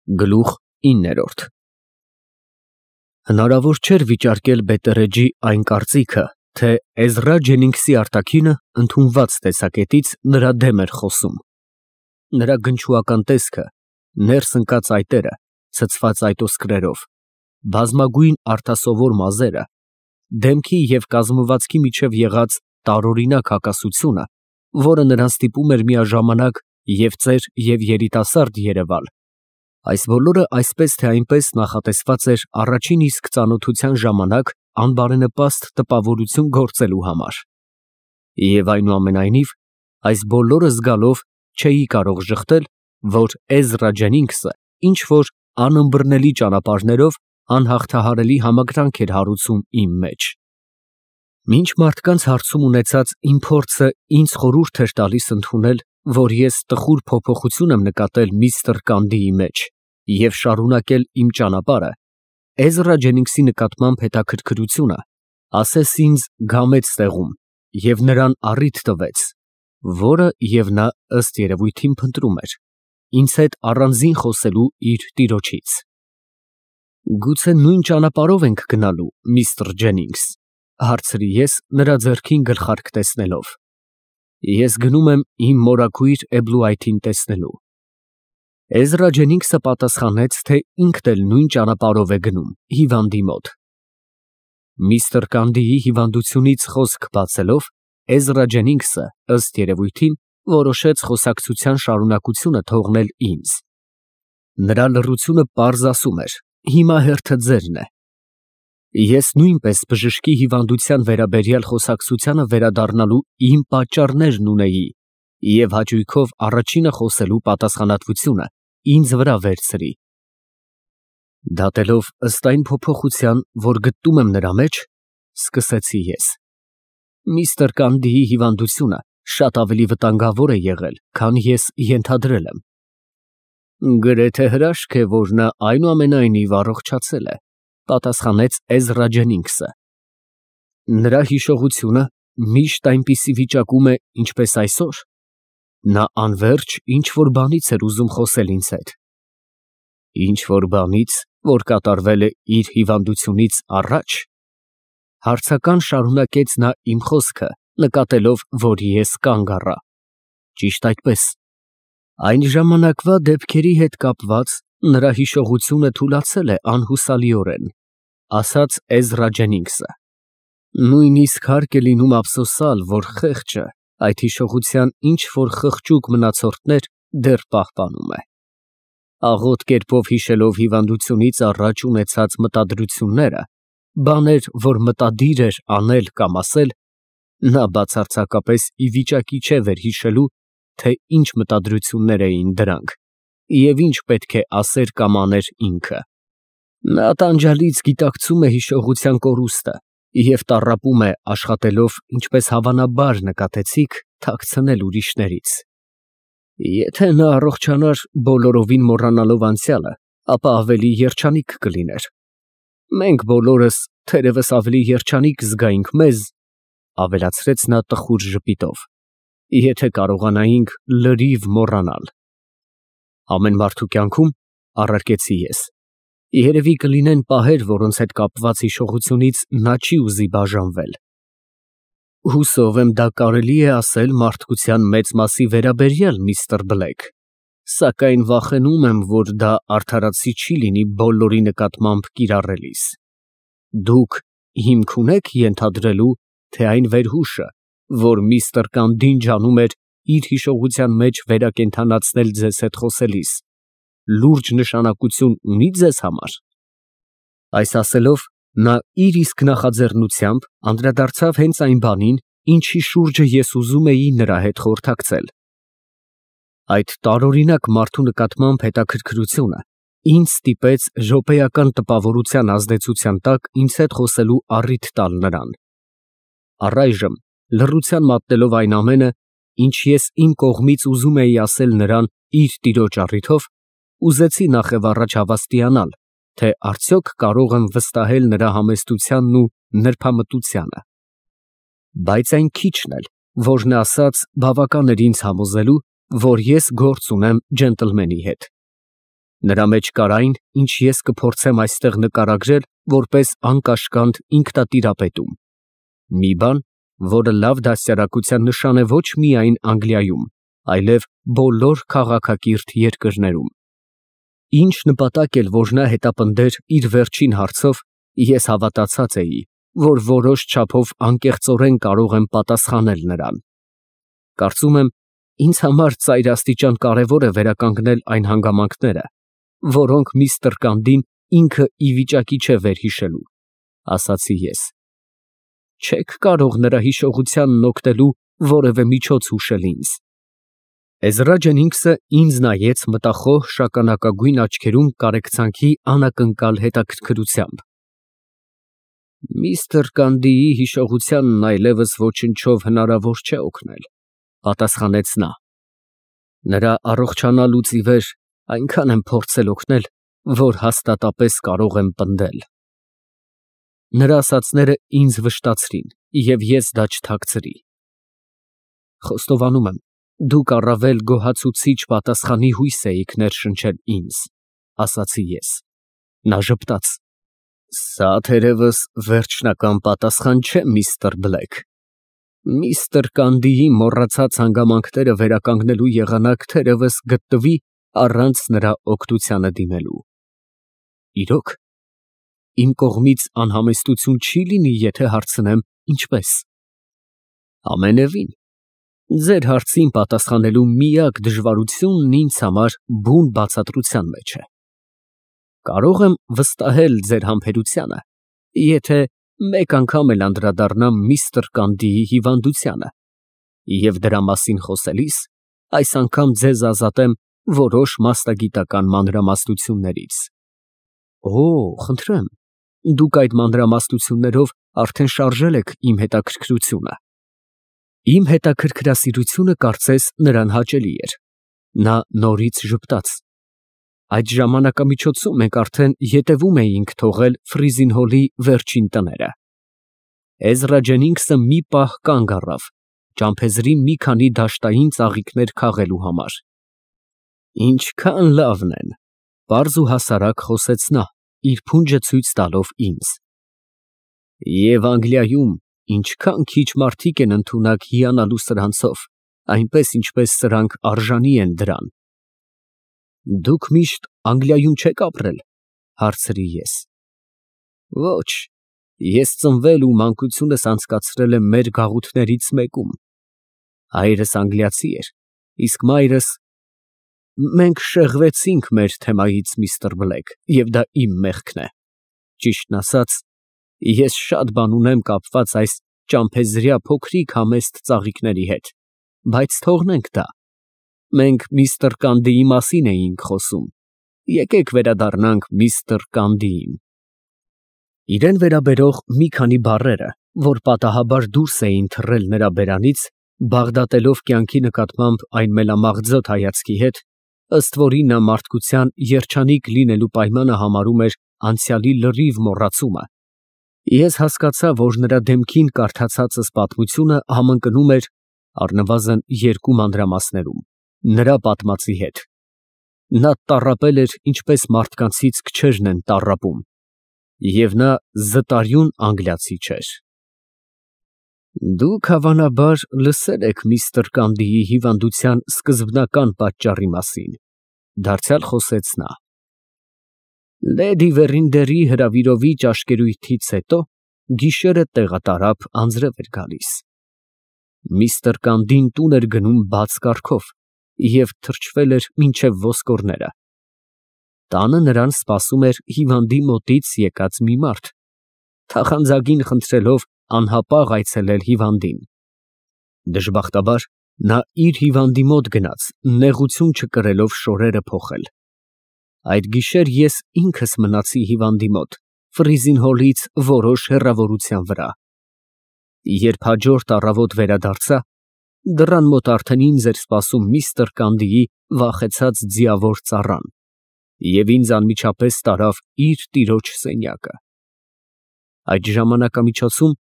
Գլուխ 9 Հնարավոր չէր վիճարկել Բետերեջի այն կարծիքը, թե Էզրա Ջենինգսի արտաքինը ընդունված տեսակետից նրա դեմ էր խոսում։ Նրա գնչուական տեսքը, ներս ընկած այտերը, ցցված այտոսկրերով, բազմագույն արտասովոր մազերը, դեմքի և կազմվածքի միջև եղած տարօրինակ հակասությունը, որը նրան ստիպում էր միաժամանակ և ծեր և երիտասարդ երևալ, այս բոլորը այսպես թե այնպես նախատեսված էր առաջին իսկ ծանոթության ժամանակ անբարենպաստ տպավորություն գործելու համար։ Եվ այնուամենայնիվ, այս բոլորը զգալով չէի կարող ժխտել, որ Էզրա Ջենինգսը ինչ-որ անըմբռնելի ճանապարհներով անհաղթահարելի համակրանք էր հարուցում իմ մեջ։ Մինչ մարդկանց հարցում ունեցած իմ փորձը ինձ խորհուրդ էր տալիս ընդունել, որ ես տխուր փոփոխություն եմ նկատել միստր Կանդիի մեջ և շարունակել իմ ճանապարհը, Էզրա Ջենինգսի նկատմամբ հետաքրքրությունը ասես ինձ գամեց տեղում և նրան առիթ տվեց, որը և նա ըստ երևույթին փնտրում էր, ինձ հետ առանձին խոսելու իր տիրոջից։ Գուցե նույն ճանապարհով ենք գնալու, միստր Ջենինգս, հարցրի ես նրա ձեռքին գլխարկ տեսնելով։ Ես գնում եմ իմ մորաքույր Էբլուայթին տեսնելու։ Էզրա Ջենինգսը պատասխանեց, թե ինքն էլ նույն ճանապարհով է գնում, հիվանդի մոտ։ Միստր Կանդիի հիվանդությունից խոսք բացելով, Էզրա Ջենինգսը, ըստ երևույթին, որոշեց խոսակցության շարունակությունը թողնել ինձ։ Նրա լռությունը պարզ ասում էր. հիմա հերթը ձերն է։ Ես նույնպես բժշկի հիվանդության վերաբերյալ խոսակցությանը վերադառնալու իմ պատճառներն ունեի և հաճույքով առաջինը խոսելու պատասխանատվությունը ինձ վրա վերցրի։ Դատելով ըստ այն փոփոխության, որ գտնում եմ նրա մեջ, սկսեցի ես. Միստր Կանդիի հիվանդությունը շատ ավելի վտանգավոր է եղել, քան ես ենթադրել եմ։ Գրեթե հրաշք է, որ նա այնուամենայնիվ առողջացել է, պատասխանեց Էզրա Ջենինգսը։ Նրա հիշողությունը միշտ այնպիսի վիճակում է, ինչպես այսօր։ Նա անվերջ ինչ֊որ բանից էր ուզում խոսել ինձ հետ։ Ինչ֊որ բանից, որ կատարվել է իր հիվանդությունից առաջ։ Հարցական շարունակեց նա իմ խոսքը, նկատելով, որ ես կանգ առա։ Ճիշտ այդպես։ Այն ժամանակվա դեպքերի հետ կապված նրա հիշողությունը թուլացել է անհուսալիորեն, ասաց Էզրա Ջենինգսը։ Նույնիսկ հարկ է լինում ափսոսալ, որ խեղճը այդ հիշողության ինչ֊որ խղճուկ մնացորդներ դեռ պահպանում է։ Աղոտ կերպով հիշելով հիվանդությունից առաջ ունեցած մտադրությունները, բաներ, որ մտադիր էր անել կամ ասել, նա բացարձակապես ի վիճակի չէ վերհիշելու, թե ինչ մտադրություններ էին դրանք և ինչ պետք է ասեր կամ աներ ինքը։ Նա տանջալից գիտակցում է հիշողության կորուստը և տառապում է աշխատելով, ինչպես հավանաբար նկատեցիք, թաքցնել ուրիշներից։ Եթե նա առողջանար բոլորովին մոռանալով անցյալը, ապա ավելի երջանիկ կլիներ։ Մենք բոլորս թերևս ավելի երջանիկ զգայինք մեզ, ավելացրեց նա տխուր ժպիտով, եթե կարողանայինք լրիվ մոռանալ։ Ամեն մարդու կյանքում, առարկեցի ես, երևի կլինեն պահեր, որոնց հետ կապված հիշողությունից նա չի ուզի բաժանվել։ Հուսով եմ դա կարելի է ասել մարդկության մեծ մասի վերաբերյալ, միստր Բլեք, սակայն վախենում եմ, որ դա արդարացի չի լինի բոլորի նկատմամբ կիրառելիս։ Դուք հիմք ունե՞ք ենթադրելու, թե այն վերհուշը, որ միստր Կանդին ջանում էր իր հիշողության մեջ վերակենդանացնել ձեզ հետ խոսելիս, լուրջ նշանակություն ունի ձեզ համար։ Այս ասելով, նա իր իսկ նախաձեռնությամբ անդրադարձավ հենց այն բանին, ինչի շուրջը ես ուզում էի նրա հետ խորհրդակցել։ Այդ տարօրինակ մարդու նկատմամբ հետաքրքրությունը ինձ ստիպեց րոպեական տպավորության ազդեցության տակ ինձ հետ խոսելու առիթ տալ նրան։ Առայժմ, լռության մատնելով այն ամենը, ինչ ես իմ կողմից ուզում էի ասել նրան իր տիրոջ առիթով, ուզեցի նախևառաջ հավաստիանալ, թե արդյոք կարող եմ վստահել նրա համեստությանն ու նրբամտությանը։ Բայց այն քիչն էլ, որ նա ասաց, բավական էր ինձ համոզելու, որ ես գործ ունեմ ջենտլմենի հետ։ Նրա մեջ կար այն, ինչ ես կփորձեմ այստեղ նկարագրել որպես անկաշկանդ ինքնատիրապետում։ Մի բան, որը լավ դաստիարակության նշան է ոչ միայն Անգլիայում, այլև բոլոր քաղաքակիրթ երկրներում։ Ինչ նպատակ էլ որ նա հետապնդեր իր վերջին հարցով, ես հավատացած էի, որ որոշ չափով անկեղծորեն կարող եմ պատասխանել նրան։ Կարծում եմ, ինձ համար ծայրաստիճան կարևոր է վերականգնել այն հանգամանքները, որոնք միստր Կանդին ինքը ի վիճակի չէ վերհիշելու, ասացի ես։ Չեք կարող նրա հիշողությանն օգնելու որևէ միջոց հուշել ինձ։ Էզրա Ջենինգսը ինձ նայեց մտախոհ շագանակագույն աչքերում կարեկցանքի անակնկալ հետաքրքրությամբ։ Միստր Կանդիի հիշողությանն այլևս ոչնչով հնարավոր չէ օգնել, պատասխանեց նա։ Նրա առողջանալուց ի վեր այնքան եմ փորձել օգնել, որ հաստատապես կարող եմ պնդել։ Նրա ասածները ինձ վշտացրին, և ես դա չթաքցրի։ Խոստովանում եմ, դուք առավել գոհացուցիչ պատասխանի հույս էիք ներշնչել ինձ, ասացի ես։ Նա ժպտաց։ Սա թերևս վերջնական պատասխան չէ, միստր Բլեք։ Միստր Կանդիի մոռացած հանգամանքները վերականգնելու եղանակ թերևս գտնվի առանց նրա օգնությանը դիմելու։ Իրոք, իմ կողմից անհամեստություն չի լինի, եթե հարցնեմ, ինչպես։ Ամենևին, ձեր հարցին պատասխանելու միակ դժվարությունն ինձ համար բուն բացատրության մեջ է։ Կարող եմ վստահել ձեր համբերությանը, եթե մեկ անգամ էլ անդրադառնամ միստր Կանդիի հիվանդությանը, և դրա մասին խոսելիս այս անգամ ձեզ ազատեմ որոշ մասնագիտական մանրամասնություններից։ Օ, խնդրեմ, դուք այդ մանրամասնություններով արդեն շարժել եք իմ հետաքրքրությունը։ Իմ հետաքրքրասիրությունը կարծես նրան հաճելի էր։ Նա նորից ժպտաց։ Այդ ժամանակամիջոցում մենք արդեն ետևում էինք թողել Ֆրիզին Հոլի վերջին տները։ Էզրա Ջենինգսը մի պահ կանգ առավ, ճամփեզրի մի քանի դաշտային ծաղիկներ քաղելու համար։ Ինչքան լավն են, պարզ ու հասարակ խոսեց նա, իր փունջը ցույց տալով ինձ։ Եվ Անգլիայում ինչքան քիչ մարդիկ են ընդունակ հիանալու սրանցով, այնպես ինչպես սրանք արժանի են դրան։ Դուք միշտ Անգլիայում չեք ապրել, հարցրի ես։ Ոչ, ես ծնվել ու մանկությունս անցկացրել եմ մեր գաղութներից մեկում։ Հայրս անգլիացի էր, իսկ մայրս… Մենք շեղվեցինք մեր թեմայից, միստր Բլեք, և դա իմ մեղքն է։ Ճիշտն ասած, ես շատ բան ունեմ կապված այս ճամփեզրյա փոքրիկ համեստ ծաղիկների հետ, բայց թողնենք դա։ Մենք միստր Կանդիի մասին էինք խոսում, եկեք վերադառնանք միստր Կանդիին։ Իրան վերաբերող մի քանի բառերը, որ պատահաբար դուրս էին թռել նրա բերանից, բաղդատելով կյանքի նկատմամբ այն մելամաղձոտ հայացքի հետ, ըստ որի նա մարդկության երջանիկ լինելու պայմանը համարում էր անցյալի լրիվ մոռացումը, ես հասկացա, որ նրա դեմքին կարդացածս պատմությունը համընկնում էր առնվազն երկու մանրամասներում նրա պատմածի հետ։ Նա տառապել էր, ինչպես մարդկանցից քչերն են տառապում, և նա զտարյուն անգլիացի չէր։ Դուք հավանաբար լսել եք միստր Կանդիի հիվանդության սկզբնական պատճառի մասին, դարձյալ խոսեց նա։ Լեդի Վերինդերի հրավիրովի ճաշկերույթից հետո գիշերը տեղատարափ անձրև էր գալիս։ Միստր Կանդին տուն էր գնում բաց կառքով և թրջվել էր մինչև ոսկորները։ Տանը նրան սպասում էր հիվանդի մոտից եկած մի մարդ, թախանձագին խնդրելով անհապաղ այցելել հիվանդին։ Դժբախտաբար նա իր հիվանդի մոտ գնաց, նեղություն չկրելով շորերը փոխել։ Այդ գիշեր ես ինքս մնացի հիվանդի մոտ, Ֆրիզին Հոլից որոշ հեռավորության վրա։ Երբ հաջորդ առավոտ վերադարձա, դռան մոտ արդեն ինձ էր սպասում միստր Կանդիի վախեցած ձիավոր ծառան, և ինձ անմիջապես տարավ իր տիրոջ սենյակը։ Այդ ժամանակամիջոցում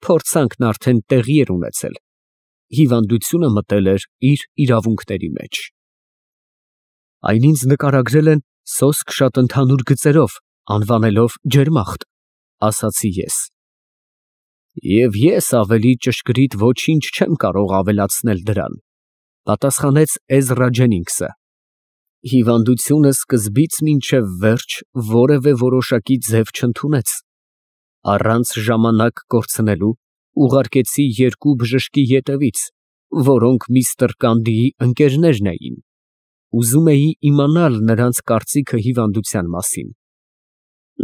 փորձանքն արդեն տեղի էր ունեցել, հիվանդությունը մտել էր իր իրավունքների մեջ։ Այն ինձ նկարագրել են Սոսկ շատ ընդհանուր գծերով, անվանելով ջերմախտ, ասացի ես։ Եվ ես ավելի ճշգրիտ ոչինչ չեմ կարող ավելացնել դրան, պատասխանեց Էզրա Ջենինգսը։ Հիվանդությունը սկզբից մինչև վերջ որևէ որոշակի ձև չընդունեց։ Առանց ժամանակ կորցնելու ուղարկեցի երկու բժշկի ետևից, որոնք միստր Կանդիի ընկերներն էին։ Ուզում էի իմանալ նրանց կարծիքը հիվանդության մասին։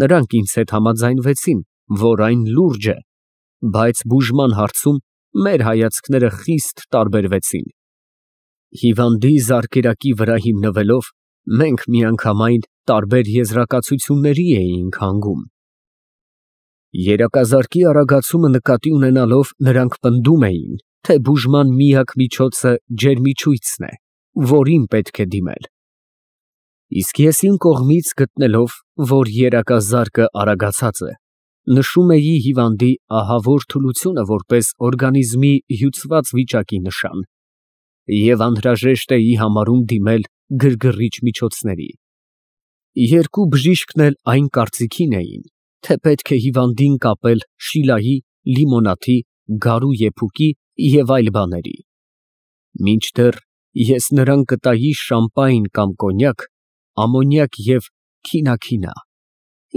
Նրանք ինձ հետ համաձայնվեցին, որ այն լուրջ է, բայց բուժման հարցում մեր հայացքները խիստ տարբերվեցին։ Հիվանդի զարկերակի վրա հիմնվելով մենք միանգամայն տարբեր եզրակացությունների էինք հանգում։ Երակազարկի արագացումը նկատի ունենալով նրանք պնդում էին, թե բուժման միակ միջոցը ջերմիչույցն է, որին պետք է դիմել։ Իսկ ես իմ կողմից գտնելով, որ երակազարկը արագացած է, նշում էի հիվանդի ահավոր թուլությունը որպես օրգանիզմի հյուծված վիճակի նշան և անհրաժեշտ էի համարում դիմել գրգռիչ միջոցների։ Երկու բժիշկն էլ այն կարծիքին էին, թե պետք է հիվանդին կապել շիլայի, լիմոնադի, գարու եփուկի և այլ բաների։ Մինչդեռ ես նրան կտայի շամպայն կամ կոնյակ, ամոնիակ և քինաքինա,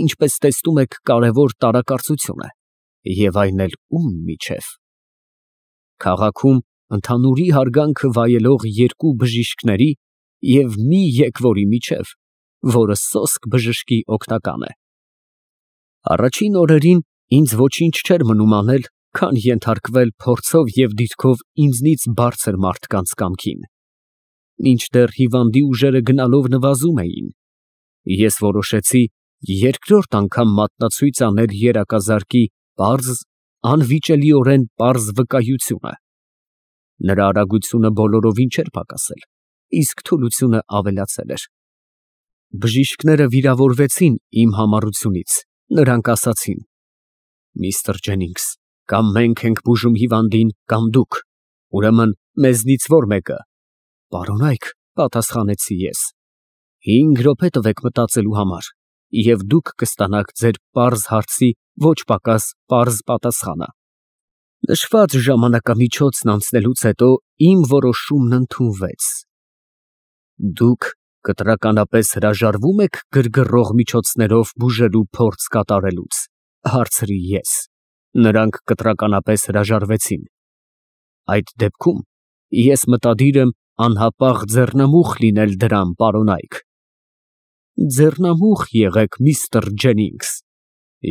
ինչպես տեսնում եք, կարևոր տարակարծություն է, և այն էլ ում միջև։ Քաղաքում ընդհանուրի հարգանքը վայելող երկու բժիշկների և մի եկվորի միջև, որը սոսկ բժշկի օգնական է։ Առաջին օրերին ինձ ոչինչ չէր մնում անել, քան ենթարկվել փորձով և դիրքով ինձնից բարձր մարդկանց կամքին։ Մինչդեռ հիվանդի ուժերը գնալով նվազում էին, ես որոշեցի երկրորդ անգամ մատնացույց անել երակազարկի պարզ, անվիճելիորեն պարզ վկայությունը։ Նրա արագությունը բոլորովին չէր պակասել, իսկ թուլությունը ավելացել էր։ Բժիշկները վիրավորվեցին իմ համառությունից, նրանք ասացին. Միստր Ջենինգս, կամ մենք ենք բուժում հիվանդին, կամ դուք, ուրեմն մեզնից որ մեկը։ Պարոնայք, պատասխանեցի ես, 5 րոպե տվեք մտածելու համար, և դուք կստանաք ձեր պարզ հարցի ոչ պակաս պարզ պատասխանը։ Նշված ժամանակամիջոցն անցնելուց հետո իմ որոշումն ընդունվեց։ Դուք կտրականապես հրաժարվո՞ւմ եք գրգռող միջոցներով բուժելու փորձ կատարելուց, հարցրի ես։ Նրանք կտրականապես հրաժարվեցին։ Այդ դեպքում ես մտադիր եմ անհապաղ ձեռնամուխ լինել դրան, պարոնայք։ Ձեռնամուխ եղեք, միստր Ջենինգս,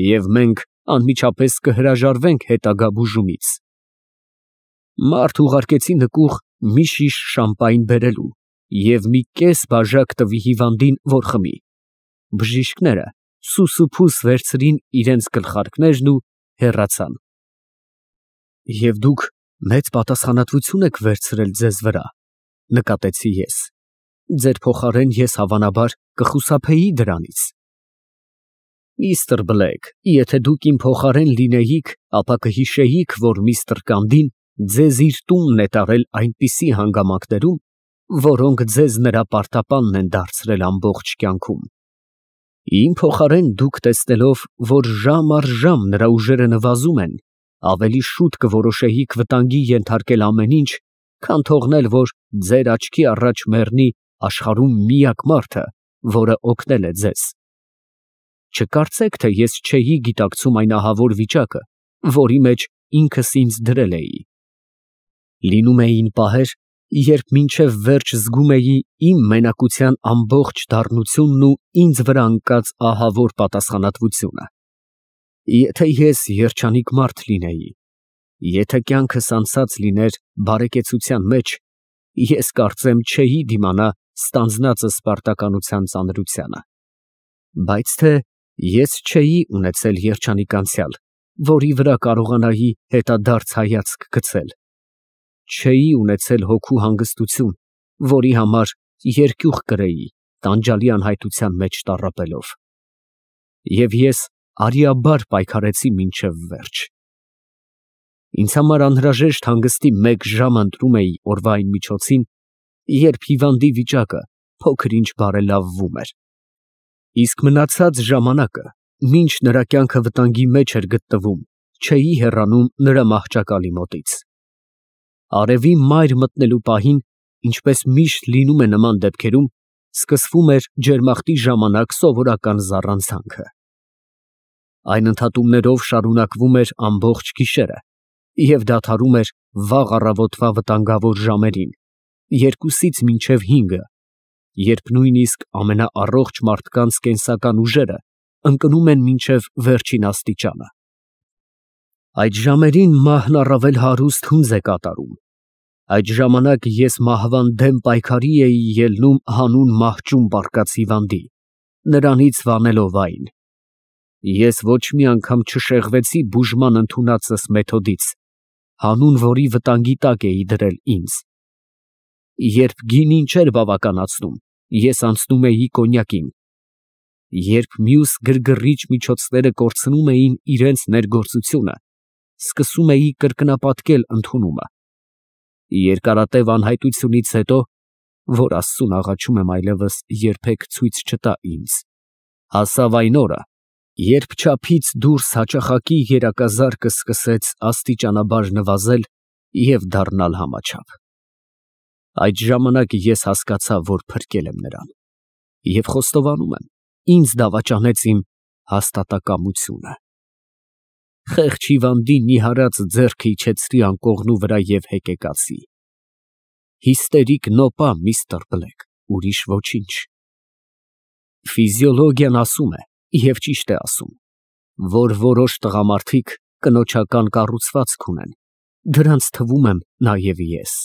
և մենք անմիջապես կհրաժարվենք հետագա բուժումից։ Մարդ ուղարկեցի նկուղ մի շիշ շամպայն բերելու և մի կես բաժակ տվի հիվանդին, որ խմի։ Բժիշկները սուսուփուս վերցրին իրենց գլխարկներն ու հեռացան։ Եվ դուք մեծ պատասխանատվություն եք վերցրել ձեզ վրա, նկատեցի ես։ Ձեր փոխարեն ես հավանաբար կխուսափեի դրանից։ Միստր Բլեկ, եթե դուք իմ փոխարեն լինեիք, ապա կհիշեիք, որ միստր Կանդին ձեզ իր տունն է տարել այնպիսի հանգամանքներում, որոնք ձեզ նրա պարտապանն են դարձրել ամբողջ կյանքում։ Իմ փոխարեն դուք տեսնելով, որ ժամ առ ժամ նրա ուժերը նվազում են, ավելի շուտ կորոշեիք վտանգի ենթարկել ամեն ինչ, քան թողնել, որ ձեր աչքի առաջ մեռնի աշխարհում միակ մարդը, որը օգնել է ձեզ։ Չկարծեք, թե ես չէի գիտակցում այն ահավոր վիճակը, որի մեջ ինքս ինձ դրել էի։ Լինում էին պահեր, երբ մինչև վերջ զգում էի իմ մենակության ամբողջ դառնությունն ու ինձ վրա ընկած ահավոր պատասխանատվությունը։ Եթե ես երջանիկ մարդ լինեի, եթե կյանքս անցած լիներ բարեկեցության մեջ, ես կարծեմ չէի դիմանա ստանձնածս պարտականության ծանրությանը։ Բայց թե ես չէի ունեցել երջանիկ անցյալ, որի վրա կարողանայի հետադարձ հայացք գցել։ Չէի ունեցել հոգու հանգստություն, որի համար երկյուղ կրեի տանջալի անհայտության մեջ տառապելով։ Եվ ես արիաբար պայքարեցի մինչև վերջ։ Ինձ համար անհրաժեշտ հանգստի 1 ժամ ընտրում էի օրվա այն միջոցին, երբ հիվանդի վիճակը փոքր ինչ բարելավվում էր։ Իսկ մնացած ժամանակը, մինչ նրա կյանքը վտանգի մեջ էր գտնվում, չէի հեռանում նրա մահճակալի մոտից։ Արևի մայր մտնելու պահին, ինչպես միշտ լինում է նման դեպքերում, սկսվում էր ջերմախտի ժամանակ սովորական զառանցանքը։ Այն ընդհատումներով շարունակվում էր ամբողջ գիշերը և դադարում էր վաղ առավոտվա վտանգավոր ժամերին, 2-ից մինչև 5, երբ նույնիսկ ամենաառողջ մարդկանց կենսական ուժերը ընկնում են մինչև վերջին աստիճանը։ Այդ ժամերին մահն առավել հարուստ հունձ է կատարում։ Այդ ժամանակ ես մահվան դեմ պայքարի էի ելնում հանուն մահճում պառկած հիվանդի, նրանից վանելով այն։ Ես ոչ մի անգամ չշեղվեցի բուժման ընդունածս մեթոդից, հանուն որի վտանգի տակ էի դրել ինձ։ Երբ գինին չէր բավականացնում, ես անցնում էի կոնյակին։ Երբ մյուս գրգռիչ միջոցները կորցնում էին իրենց ներգործությունը, սկսում էի կրկնապատկել ընդունումը։ Երկարատև անհայտությունից հետո, որ Աստծուն աղաչում եմ այլևս երբեք ցույց չտա ինձ, հասավ այն օրը, երբ չափից դուրս հաճախակի երակազարկը սկսեց աստիճանաբար նվազել և դառնալ համաչափ։ Այդ ժամանակ ես հասկացա, որ փրկել եմ նրան, և խոստովանում եմ, ինձ դավաճանեց իմ հաստատակամությունը։ Խեղճ հիվանդի նիհարած ձեռքը իջեցրի անկողնու վրա և հեկեկացի։ Հիստերիկ նոպա, միստր Բլեկ, ուրիշ ոչինչ։ Ֆիզիոլոգիան ասում է, և ճիշտ է ասում, որ որոշ տղամարդիկ կնոջական կառուցվածք ունեն, դրանց թվում եմ նաև ես։